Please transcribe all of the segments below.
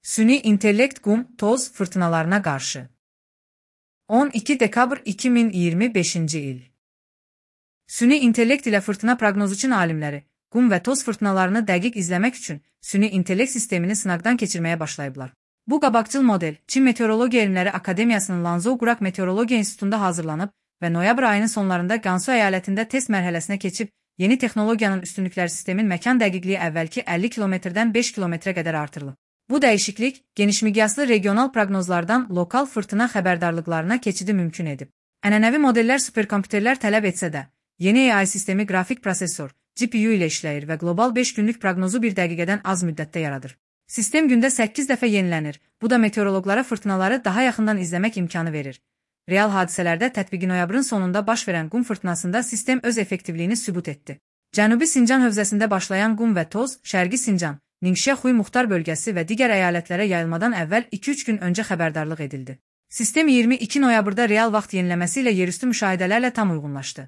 Süni intellekt qum, toz fırtınalarına qarşı. 12 dekabr 2025-ci il. Süni intellekt ilə fırtına proqnozu üçün alimləri, qum və toz fırtınalarını dəqiq izləmək üçün süni intellekt sistemini sınaqdan keçirməyə başlayıblar. Bu qabaqcıl model Çin Meteorologiya Elmləri Akademiyasının Lanzhou Quraq Meteorologiya İnstitutunda hazırlanıb və noyabr ayının sonlarında Gansu əyalətində test mərhələsinə keçib, yeni texnologiyanın üstünlükləri sistemin məkan dəqiqliyi əvvəlki 50 kilometrdən 5 kilometrə qədər artırılıb. Bu dəyişiklik genişmiqyaslı regional proqnozlardan lokal fırtına xəbərdarlıqlarına keçidi mümkün edib. Ənənəvi modellər superkompüterlər tələb etsə də, yeni AI sistemi qrafik prosesor, GPU ilə işləyir və qlobal 5 günlük proqnozu bir dəqiqədən az müddətdə yaradır. Sistem gündə 8 dəfə yenilənir, bu da meteoroloqlara fırtınaları daha yaxından izləmək imkanı verir. Real hadisələrdə tətbiqi noyabrın sonunda baş verən qum fırtınasında sistem öz effektivliyini sübut etdi. Cənubi Sincan hövzəsində başlayan qum və toz, Şərqi Sincan, Ningxia-Xuy Muxtar bölgəsi və digər əyalətlərə yayılmadan əvvəl 2-3 gün öncə xəbərdarlıq edildi. Sistem 22 noyabrda real vaxt yeniləməsi ilə yerüstü müşahidələrlə tam uyğunlaşdı.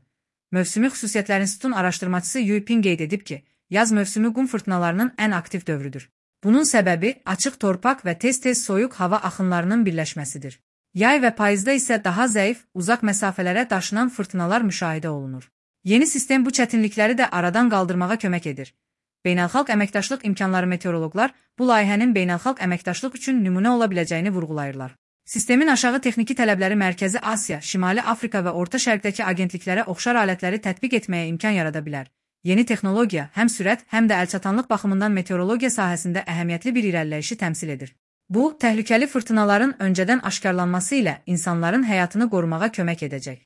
Mövsümi xüsusiyyətlər institutunun araşdırmacısı Yu Ping qeyd edib ki, yaz mövsümü qum fırtınalarının ən aktiv dövrüdür. Bunun səbəbi açıq torpaq və tez-tez soyuq hava axınlarının birləşməsidir. Yay və payızda isə daha zəif, uzaq məsafələrə daşınan fırtınalar müşahidə olunur. Yeni sistem bu çətinlikləri də aradan qaldırmağa kömək edir. Beynəlxalq əməkdaşlıq imkanları meteoroloqlar bu layihənin beynəlxalq əməkdaşlıq üçün nümunə ola biləcəyini vurğulayırlar. Sistemin aşağı texniki tələbləri Mərkəzi Asiya, Şimali Afrika və Orta Şərqdəki agentliklərə oxşar alətləri tətbiq etməyə imkan yarada bilər. Yeni texnologiya həm sürət, həm də əlçatanlıq baxımından meteorologiya sahəsində əhəmiyyətli bir irəliləyişi təmsil edir. Bu, təhlükəli fırtınaların öncədən aşkarlanması ilə insanların həyatını qorumağa kömək edəcək.